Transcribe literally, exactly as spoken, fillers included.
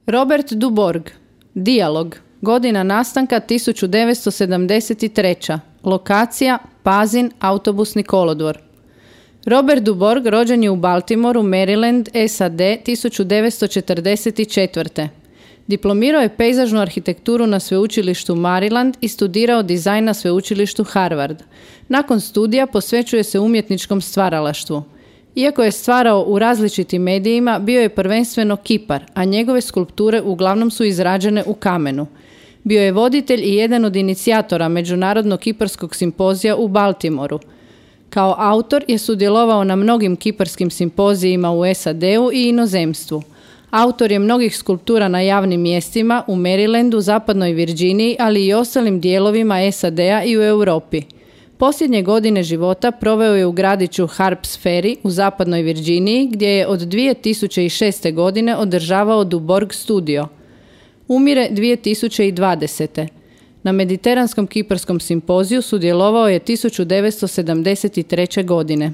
Robert Duborg. Dijalog. Godina nastanka tisuću devetsto sedamdeset treća. Lokacija Pazin, autobusni kolodvor. Robert Duborg rođen je u Baltimoru, Maryland, S A D tisuću devetsto četrdeset četvrte. Diplomirao je pejzažnu arhitekturu na sveučilištu Maryland i studirao dizajn na sveučilištu Harvard. Nakon studija posvećuje se umjetničkom stvaralaštvu. Iako je stvarao u različitim medijima, bio je prvenstveno kipar, a njegove skulpture uglavnom su izrađene u kamenu. Bio je voditelj i jedan od inicijatora Međunarodnog kiparskog simpozija u Baltimoru. Kao autor je sudjelovao na mnogim kiparskim simpozijima u S A D-u i inozemstvu. Autor je mnogih skulptura na javnim mjestima u Marylandu, zapadnoj Virginiji, ali i ostalim dijelovima S A D-a i u Europi. Posljednje godine života proveo je u gradiću Harps Ferry u zapadnoj Virginiji, gdje je od dvije tisuće šeste. godine održavao Duborg studio. Umire dvije tisuće dvadesete. Na Mediteranskom kiparskom simpoziju sudjelovao je tisuću devetsto sedamdeset treće. godine.